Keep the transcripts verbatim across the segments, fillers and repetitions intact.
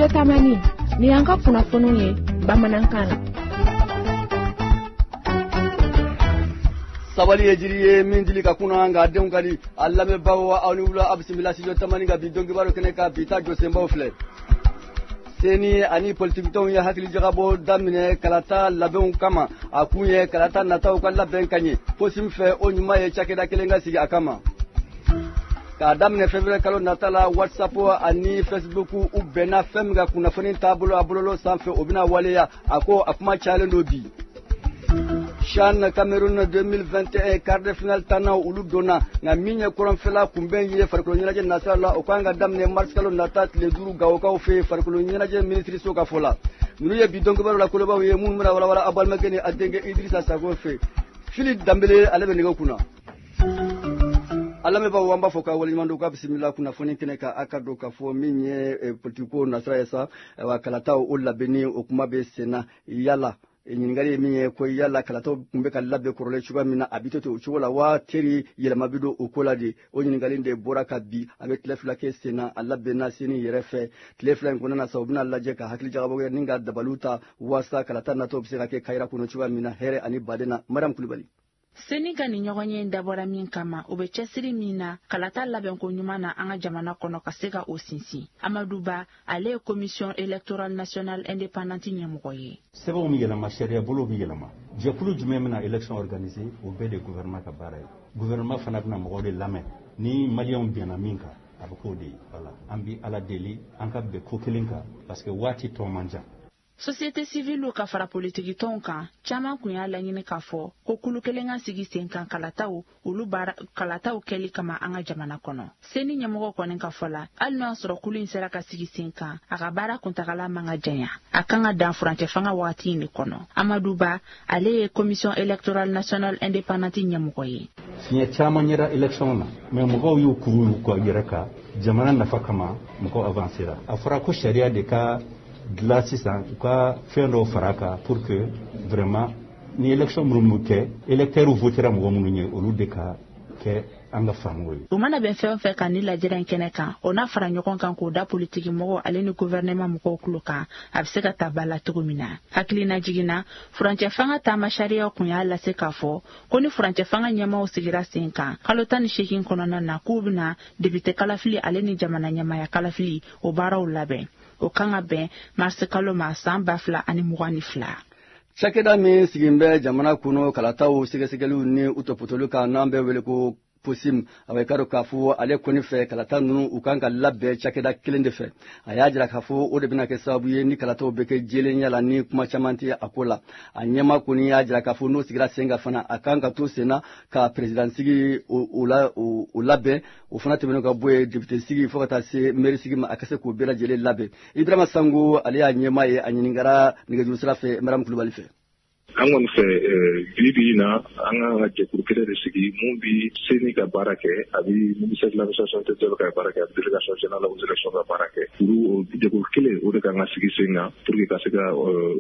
Studio Tamani, ni y'an ka kunnafoniw ye bamanankan na. Sabali ye jiri ye min dili ka kunna nka denw ka di a lamɛnbaaw aw ni wula a bisimila Studio Tamani ka bi donkibaru kɛnɛ kan bi ta jɔsenbaw filɛ. CENI ani politikitɔnw ye hakilijagabɔ daminɛ kalata labɛnw kama a kun ye kalata nataw ka labɛn ka ɲɛ COSIM fɛ o ɲuman ye cakɛda kelen ka sigi a kama. K'a daminɛ février kalo nata la WhatsApp ani Facebook u bɛnna fɛn min ka kunnafoni taabolo a bololo sanfɛ o bɛna waleya a ko a kuma cayalen don bi. CHAN Cameroun deux mille vingt et un quart de finale tanna olu donna nka min ye kɔrɔnfɛla kunbɛn ye farikolo ɲɛnajɛ nasira la o kan ka daminɛ mars kalo nata tile duuru Gawokaw fɛ farikolo ɲɛnajɛ minisiriso ka fɔ la. Ninnu ye bi donkibaru la kolobaw ye minnu bɛna walawala aw balimakɛ ni a denkɛ Idrissa Sago fɛ. Fili Danbele ale bɛ nɛgɛ kunna. A lamɛnbaaw an b'a fɔ ka waleɲuman dɔn k'a bisimila kunnafoni kɛnɛ kan a ka dɔn k'a fɔ min ye politiko nasira ye sa ayiwa kalataw o labɛnni o kuma bɛ sen na yala ɲininkali ye min ye ko yala kalataw tun bɛ ka labɛn kɔrɔlen cogoya min na a bɛ to ten o cogo la wa teri yɛlɛma bɛ don o ko la de o ɲininkali de bɔra ka bi a bɛ tile fila kɛ sen na a labɛnna CENI yɛrɛ fɛ tile fila in kɔnɔna na sa u bɛna lajɛ ka hakili jagabɔ kɛ ni ka dabaliw ta walasa kalata nataw bɛ se ka kɛ kayira kɔnɔ cogoya min na hɛrɛ ani baden na. Mariam Kulibali. CENI ka nin ɲɔgɔn ye dabɔra min kama o bɛ cɛsiri min na kalata labɛnko ɲuman na an ka jamana kɔnɔ ka se ka o sinsin. Amadou Ba ale ye commission électorale nationale indépendante ɲɛmɔgɔ ye. Sɛbɛnw bɛ yɛlɛma sariya bolo bɛ yɛlɛma jɛkulu jumɛn bɛna élection organiser o bɛɛ de gouvernement ka baara ye. Gouvernement fana bɛna mɔgɔw de lamɛn ni maliyɛnw bɛnna min kan a bɛ k'o de ye. Voilà, an bɛ Ala deli an ka bɛn ko kelen kan parce que waati tɔ man jan. Société civile ka fara politikitɔnw kan caman kun y'a laɲini k'a fɔ ko kulu kelen ka sigi sen kan kalataw olu baara kalataw kɛli kama an ka jamana kɔnɔ. CENI ɲɛmɔgɔ kɔni ka fɔ la hali n'o y'a sɔrɔ kulu in sera ka sigi sen kan a ka baara kuntagala man ka janya a kan ka dan furancɛ fanga wagati in de kɔnɔ. Amadou Ba ale ye commission électorale nationale indépendante ɲɛmɔgɔ ye. Fiɲɛ caman yera élection na mais mɔgɔw y'u kuru y'u kɔ yɛrɛ kan jamana nafa kama mɔgɔw avancera. A fɔra ko sariya de ka dilan sisan u ka fɛn dɔw fara kan pour que vraiment ni élection minnu bɛ kɛ électeurs votera mɔgɔ minnu ye olu de ka kɛ an ka faamu ye. U mana bɛn fɛn o fɛn kan ni lajɛrɛ in kɛnɛ kan o n'a fara ɲɔgɔn kan k'o da politiki mɔgɔw ale ni gouvernement mɔgɔw tulo kan a bɛ se ka ta ba la cogo min na. Hakilina jiginna furancɛ fanga taama sariyaw kun y'a lase k'a fɔ ko ni furancɛ fanga ɲɛmaaw sigira sen kan kalo tan ni seegin kɔnɔna na k'u bɛna député kalafili ale ni jamana ɲɛmaaya kalafili o baaraw labɛn. O kan ka bɛn mars kalo ma san ba fila ani mugan ni fila. Cakɛda min sigin bɛ jamana kɔnɔ kalataw sɛgɛsɛgɛliw ni u tɔpɔtɔliw kan n'an bɛ wele ko COSIM a bɛ k'a dɔn k'a fɔ ale kɔni fɛ kalata ninnu u kan ka labɛn cakɛda kelen de fɛ. A y'a jira k'a fɔ o de bɛna kɛ sababu ye ni kalataw bɛ kɛ jɛlenya la ni kuma caman tɛ a ko la. A ɲɛma kɔni y'a jira k'a fɔ n'o sigira sen kan fana a kan ka to sen na ka président sigi o la o labɛn o fana tɛmɛnen ka bɔ yen député sigi fo ka taa se maire sigi ma a ka se k'o bɛɛ lajɛlen labɛn. Ibrahima Sango ale y'a ɲɛma ye a ɲininkara nɛgɛjuru sira fɛ Mariam Kulibali fɛ. An kɔni fɛ bi bi in na an kan ka jɛkulu kelen de sigi mun bi CENI ka baara kɛ a bi ministère de l'administration territoriale ka baara kɛ a bi délégation générale aux élections ka baara kɛ. Olu jɛkulu kelen o de kan ka sigi sen kan pour que ka se ka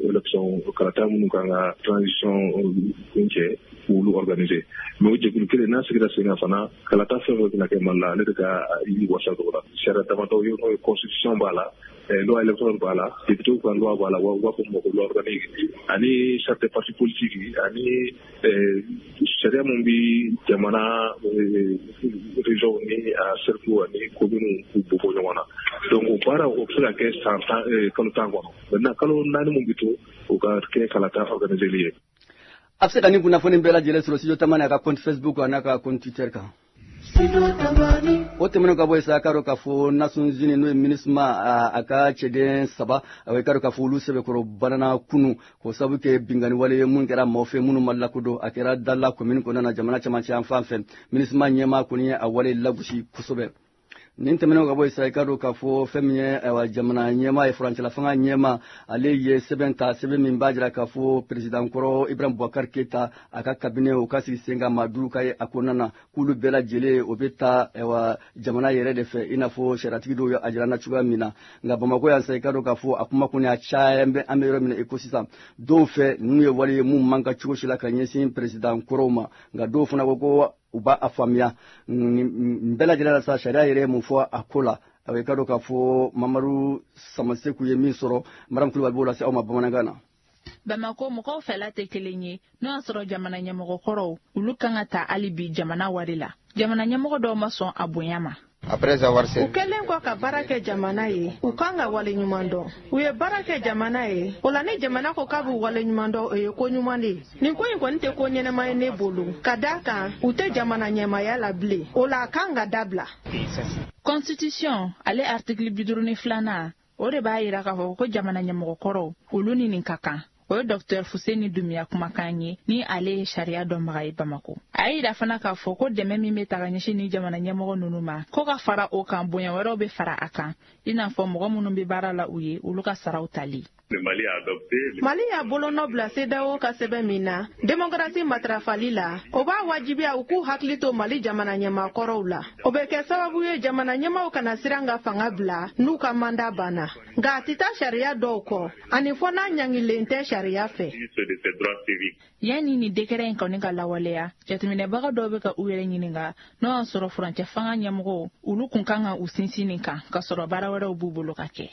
élection kalata minnu kan ka transition kuncɛ k'olu organiser. Mais o jɛkulu kelen n'a sigira sen kan fana kalata fɛn fɛn bɛna kɛ Mali la ale de ka i wasa don o la. Sariya damadɔ ye n'o ye constitution b'a la, loi électorale b'a la, député ka loi b'a la, u b'a fɔ ma ko loi organique ani charte des partis politiques ani sariya mun bi jamana région ni a cercle ani commune k'u bɔ bɔ ɲɔgɔn na. Donc o baara o bɛ se ka kɛ san tan kalo tan kɔnɔ. Maintenant kalo naani mun bi to o ka kɛ kalata organiseli ye. A bɛ se ka nin kunnafoni bɛɛ lajɛlen sɔrɔ Studio Tamani a ka compte Facebook a n'a ka compte Twitter kan. O tɛmɛnen ka bɔ yen sa k'a dɔn k'a fɔ Nations Unies n'o ye MINUSMA a ka cɛden saba a k'a dɔn k'a fɔ olu sɛbɛkɔrɔ banana kunu k'o sababu kɛ binkanni wale ye mun kɛra maaw fɛ minnu ma lakodɔn a kɛra Dala commune kɔnɔna na jamana cɛmancɛ yan fan fɛ. MINUSMA ɲɛmaa kɔni ye a wale lagosi kosɛbɛ. Nin tɛmɛnen ka bɔ yen sa i k'a dɔn k'a fɔ fɛn min ye ayiwa jamana ɲɛmaa ye furancɛla fanga ɲɛmaa ale ye sɛbɛn ta sɛbɛn min b'a jira k'a fɔ président kɔrɔ Ibrahim Boubacar Keïta a ka cabinet o ka sigi sen kan maa duuru ka ye a kɔnɔna na k'olu bɛɛ lajɛlen o bɛ taa ayiwa jamana yɛrɛ de fɛ i n'a fɔ sariyatigi dɔw ye a jira n na cogoya min na. Nka Bamakɔ yan sa i k'a dɔn k'a fɔ a kuma kɔni a caya bɛ an bɛ yɔrɔ min na i ko sisan dɔw fɛ ninnu ye wale ye mun man kan cogo si la ka ɲɛsin président kɔrɔw ma nka dɔw fana ko ko u b'a faamuya nin bɛɛ lajɛlen la sa sariya yɛrɛ ye mun fɔ a ko la. A i ka dɔn k'a fɔ Mamadu Samaseku ye min sɔrɔ, Mariam Kulubali b'o lase aw ma bamanankan na. Bamako mɔgɔw fɛla tɛ kelen ye n'o y'a sɔrɔ jamana ɲɛmɔgɔ kɔrɔw olu kan ka ta hali bi jamana wari la. Jamana ɲɛmɔgɔ dɔw ma sɔn a bonya ma. U kɛlen kɔ ka baara kɛ jamana ye, u kan ka waleɲuman dɔn. U ye baara kɛ jamana ye, o la ni jamana ko k'a b'u waleɲuman dɔn, o ye ko ɲuman de ye. Nin ko in kɔni tɛ ko ɲɛnama ye ne bolo, ka d'a kan u tɛ jamana ɲɛmaaya la bilen, o la a kan ka dabila. Constitution ale article bi duuru ni filanan, o de b'a yira k'a fɔ ko jamana ɲɛmɔgɔ kɔrɔw olu ni nin ka kan. O ye Docteur Fuseni Dumiya kumakan ye, ni ale ye sariya dɔnbaga ye Bamako. A y'a yira fana k'a fɔ ko dɛmɛ min bɛ ta ka ɲɛsin ni jamana ɲɛmɔgɔ ninnu ma, ko ka fara o kan, bonya wɛrɛw bɛ fara a kan, i n'a fɔ mɔgɔ minnu bɛ baara la u ye, olu ka saraw tali. Mali y'a bolonɔ bila CEDEAO ka sɛbɛn min na démocratie matarafali la, o b'a wajibiya u k'u hakili to Mali jamana ɲɛmaakɔrɔw la. O bɛ kɛ sababu ye jamana ɲɛmaaw kana siran ka fanga bila n'u ka mandat banna, nka a tɛ taa sariya dɔw kɔ, ani fɔ n'a ɲangilen tɛ sariya fɛ. Yanni nin décret in kɔni ka lawaleya, jateminɛbaga dɔw bɛ ka u yɛrɛ ɲininka n'o y'a sɔrɔ furancɛ fanga ɲɛmɔgɔw olu kun kan ka u sinsin nin kan, ka sɔrɔ baara wɛrɛw b'u bolo ka kɛ.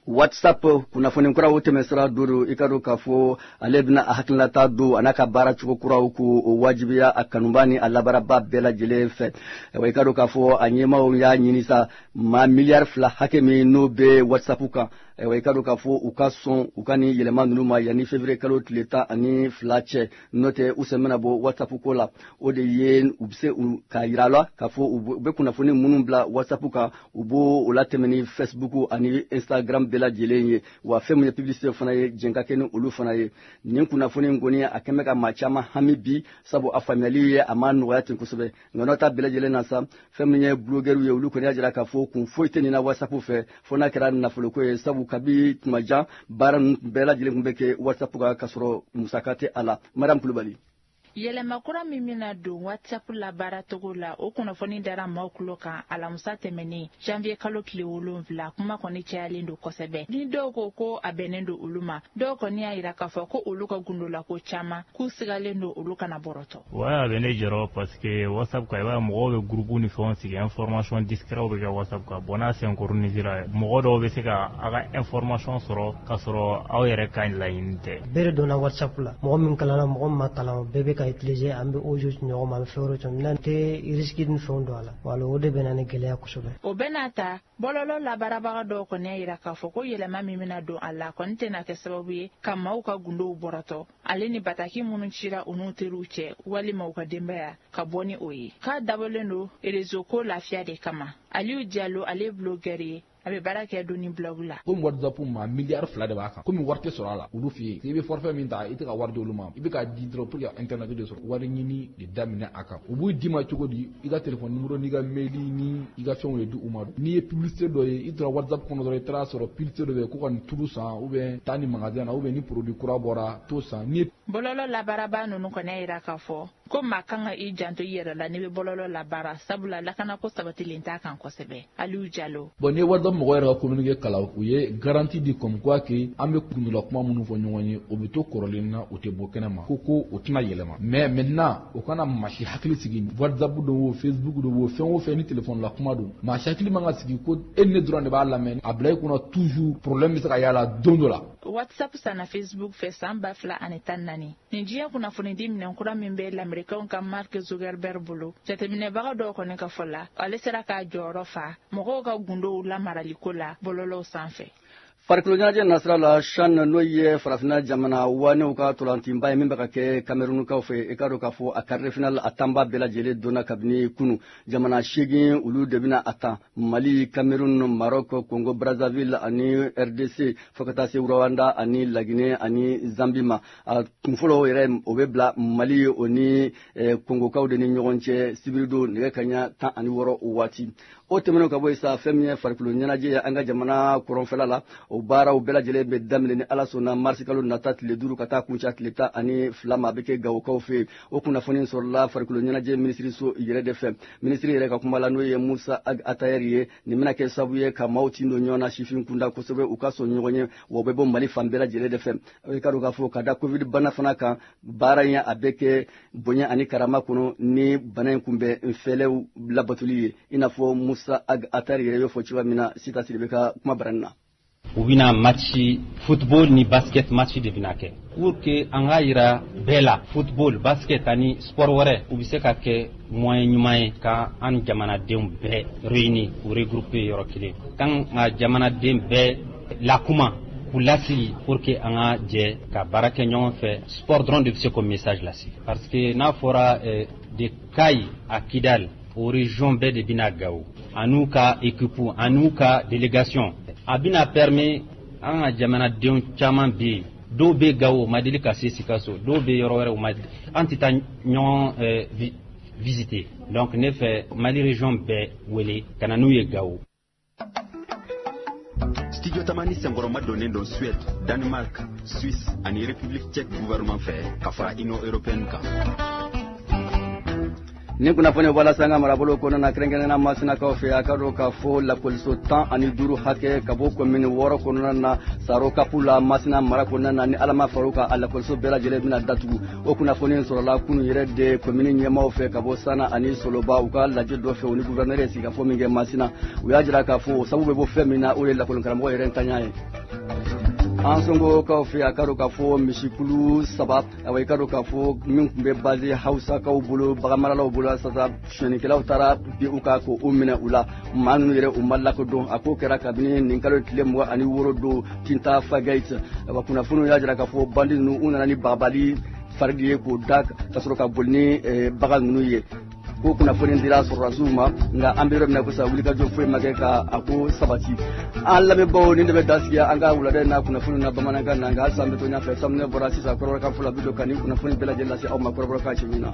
WhatsApp kunnafoni kuraw tɛmɛsira duuru, i ka dɔn k'a fɔ ale bɛna a hakilinata don a n'a ka baara cogo kuraw k'o wajibiya a kanuba ni a labaaraba bɛɛ lajɛlen fɛ. Wa i ka dɔn k'a fɔ a ɲɛmaaw y'a ɲini sa maa miliyari fila hakɛ min n'o bɛ WhatsApp kan, wa i ka dɔn k'a fɔ u ka sɔn u ka nin yɛlɛma ninnu ma yanni février kalo tile tan ani fila cɛ, n'o tɛ u sen bɛna bɔ WhatsApp ko la. O de ye u bɛ se k'a yira la k'a fɔ u bɛ kunnafoni minnu bila WhatsApp kan, u b'o o latɛmɛ ni Facebook ani Instagram bɛɛ lajɛlen ye. Wa fɛn min ye publicité fana ye, jɛn ka kɛ ni olu fana ye. Nin kunnafoni in kɔni a kɛn bɛ ka maa caman hami bi, sabu a faamuyali ye a ma nɔgɔya ten kosɛbɛ. Nka n'o ta bɛɛ lajɛlen na sa, fɛn min ye blogueur ye, olu kɔni y'a jira k'a fɔ kun foyi tɛ nin na WhatsApp fɛ fo n'a kɛra nafoloko ye, sabu kabi tuma jan baara ninnu bɛɛ lajɛlen tun bɛ kɛ WhatsApp kan k'a sɔrɔ musaka tɛ a la. Mariam Kulubali. Yɛlɛma kura min bɛna don WhatsApp la baaracogo la, o kunnafoni dara maaw tulo kan alamisa tɛmɛnen janvier kalo tile wolonwula. Kuma kɔni cayalen don kosɛbɛ, ni dɔw ko ko a bɛnnen don olu ma, dɔw kɔni y'a yira k'a fɔ ko olu ka gundolako caman k'u sigalen don olu kana bɔrɔtɔ. Ouais, a bɛ ne jɔrɔ parce que WhatsApp kan, i b'a ye mɔgɔw bɛ groupe ni fɛnw sigi, information discret bɛ kɛ WhatsApp kan. Bon, n'a synchronisera, mɔgɔ dɔw bɛ se ka a ka information sɔrɔ k'a sɔrɔ aw yɛrɛ ka laɲini tɛ. Bɛɛ de donna WhatsApp la, mɔgɔ min kalanna, mɔgɔ min ma kalan, bɛɛ bɛ ka utiliser, an bɛ audio ci ɲɔgɔn ma, an bɛ fɛn wɛrɛw ci, n'an tɛ risque ni fɛnw don a la, wala o de bɛ na ni gɛlɛya kosɛbɛ. O bɛ n'a ta, bɔlɔlɔ labaarabaga dɔw kɔni y'a yira k'a fɔ ko yɛlɛma min bɛna don a la kɔni tɛna kɛ sababu ye ka maaw ka gundow bɔrɔtɔ, ale ni bataki minnu cira u n'u teriw cɛ walima u ka denbaya ka bɔ ni o ye. K'a dabɔlen don réseau ko lafiya de kama. Aliyu Jalo, ale ye blogueur ye, a bɛ baara kɛ doni blog la. Komi WhatsApp ma miliyari fila de b'a kan, komi wari tɛ sɔrɔ a la olu fɛ yen, i bɛ forfait min ta i tɛ ka wari di olu ma, i bɛ k'a di dɔrɔn pour que internet de sɔrɔ, wari ɲini de daminɛ a kan. U b'u d'i ma cogo di? I ka téléphone numéro n'i ka mail ni i ka fɛnw de di u ma. N'i ye publicité dɔ ye, i tora WhatsApp kɔnɔ dɔrɔn, i taara sɔrɔ publicité dɔ bɛ yen ko ka nin tulu san, ou bien taa nin magasin na, ou bien ni produit kura bɔra t'o san. N'i ye bɔlɔlɔ labaarabaa ninnu kɔni y'a yira k'a fɔ ko maa kan ka i janto i yɛrɛ la n'i bɛ bɔlɔlɔ labaara, sabula lakanako sabatilen t'a kan kosɛbɛ. Aliyu Jalo. Bon, n'i ye WhatsApp mɔgɔ yɛrɛ ka communiqué kalan, u ye garantie di comme quoi que an bɛ kundola kuma minnu fɔ ɲɔgɔn ye, o bɛ to kɔrɔlen na, o tɛ bɔ kɛnɛ ma, ko ko o tɛna yɛlɛma. Mais maintenant o kana maa si hakili sigi, WhatsApp don o, Facebook don o, fɛn o fɛn ni téléphone la kuma don, maa si hakili man ka sigi ko e ni ne dɔrɔn de b'a lamɛn. A bila i kunna toujours problème bɛ se ka y'a la don dɔ la. WhatsApp sanna Facebook fɛ san ba fila ani tan naani. Nin diɲɛ kunnafonidi minɛn kura min bɛ lamɛrikɛnw ka Mark Zuckerberg bolo, jateminɛbaga dɔw kɔni ka fɔ la, ale sera k'a jɔyɔrɔ fa mɔgɔw ka gundow lamaraliko la bɔlɔlɔw sanfɛ. Farikolo ɲɛnajɛ nasira la, CHAN n'o ye farafinna jamana wanew ka tolantinba ye min bɛ ka kɛ Camerounkaw fɛ, i ka dɔn k'a fɔ a quart de finale a tanba bɛɛ lajɛlen donna kabini kunu. Jamana seegin olu de bɛna a tan: Mali, Cameroun, Maroc, Congo Brazzaville ani R D C, fo ka taa se Rwanda ani Laginɛ ani Zambie ma. A kunfɔlɔ yɛrɛ o bɛ bila Mali o ni Congokaw de ni ɲɔgɔn cɛ sibiridon nɛgɛ kanɲɛ tan ani wɔɔrɔ o waati. O tɛmɛnen ka bɔ yen sa, fɛn min ye farikolo ɲɛnajɛ ye an ka jamana kɔrɔnfɛla la, o O baaraw bɛɛ lajɛlen bɛ daminɛ ni Ala sɔnna marisi kalo nata tile duuru ka taa kuncɛ tile tan ani fila ma, a bɛ kɛ Gawokaw fɛ yen. O kunnafoni sɔrɔla farikolo ɲɛnajɛ minisiriso yɛrɛ de fɛ. Minisiri yɛrɛ ka kuma la, n'o ye Musa Ag Atayɛri ye, nin bɛna kɛ sababu ye ka maaw tin don ɲɔgɔn na sifin kunda kosɛbɛ, u ka sɔn ɲɔgɔn ye, wa u bɛ bɔ Mali fan bɛɛ lajɛlen de fɛ. I ka dɔn k'a fɔ ka da covid bana fana kan, baara in a bɛ kɛ bonya ani karama kɔnɔ ni bana in kunbɛn fɛlɛw labatoli ye, i n'a fɔ Musa Ag Atayɛri yɛrɛ y'o fɔ cogoya min na. Sita Sidibe ka kuma barani na. U bɛna match football ni basket match de bɛna kɛ pour que an k'a yira bɛɛ la, football, basket ani sport wɛrɛ, u bɛ se ka kɛ moyen ɲuman ye ka an jamanadenw bɛɛ réunir, u regrouper yɔrɔ kelen, kan ka jamanaden bɛɛ lakuma, k'u lasigi pour que an ka jɛ ka baara kɛ ɲɔgɔn fɛ. Sport dɔrɔn de bɛ se k'o message lase, parce que n'a fɔra eh, de Kayi à Kidal, o région bɛɛ de bɛna Gawo an'u ka équipe an'u ka délégation. A bɛna permet an ka jamanadenw caman bɛ yen, dɔw bɛ Gawo, o ma deli ka se Sikaso, dɔw bɛ yɔrɔ wɛrɛ, o ma, an tɛ taa ɲɔgɔn eh, visiter. Donc ne fɛ, Mali région bɛɛ wele ka na n'u ye Gawo. Studio Tamani senkɔrɔma donnen don Suède, Danemark, Suisse ani République tchèque gouvernement fɛ, ka fara Union européenne kan. Ni kunnafoni walasa an ka marabolo kɔnɔna na, kɛrɛnkɛrɛnnenya Masinakaw fɛ, a ka dɔn k'a fɔ lakɔliso tan ani duuru hakɛ ka bɔ komini wɔɔrɔ kɔnɔna na Saro Kapu la, Masina mara kɔnɔna na, ni Ala ma far'o kan, a lakɔliso bɛɛ lajɛlen bɛna datugu. O kunnafoni sɔrɔla kunun yɛrɛ de komini ɲɛmaaw fɛ ka bɔ Sana ani Soloba, u ka lajɛ dɔ fɛ, u ni gouverneur ye sigikafɔ min kɛ Masina. U y'a jira k'a fɔ o sababu bɛ bɔ fɛn min na, o ye lakɔlikaramɔgɔ yɛrɛ ntanya ye. An sɔngokaw fɛ, a ka dɔn k'a fɔ misikulu saba, awa, i ka dɔn k'a fɔ min tun bɛ base Hawusakaw bolo, baganmaralaw bolo, sisan sonyɛnikɛlaw taara bi u kan k'o minɛ u la. Maa ninnu yɛrɛ, u ma lakodɔn. A ko kɛra kabini nin kalo tile mugan ani wɔɔrɔ don Tinta Fagayit. Awa, kunnafoniw y'a jira k'a fɔ bandi ninnu, u nana ni bagabali fari de ye k'o da ka sɔrɔ ka boli ni bagan ninnu ye. Ko kunnafoni dira sɔrɔdasiw ma, nka an bɛ yɔrɔ min na ko sisan, wulikajɔ foyi ma kɛ ka a ko sabati. An lamɛnbaaw, nin de bɛ dan sigi an ka wulada in na kunnafoni na bamanankan na. Nka halisa an bɛ to ɲɛfɛ, samunɛ bɔra sisan kɔrɔbɔrɔkan fɔlɔ bi don ka nin kunnafoni bɛɛ lajɛlen lase aw ma kɔrɔbɔrɔkan cɛ min na.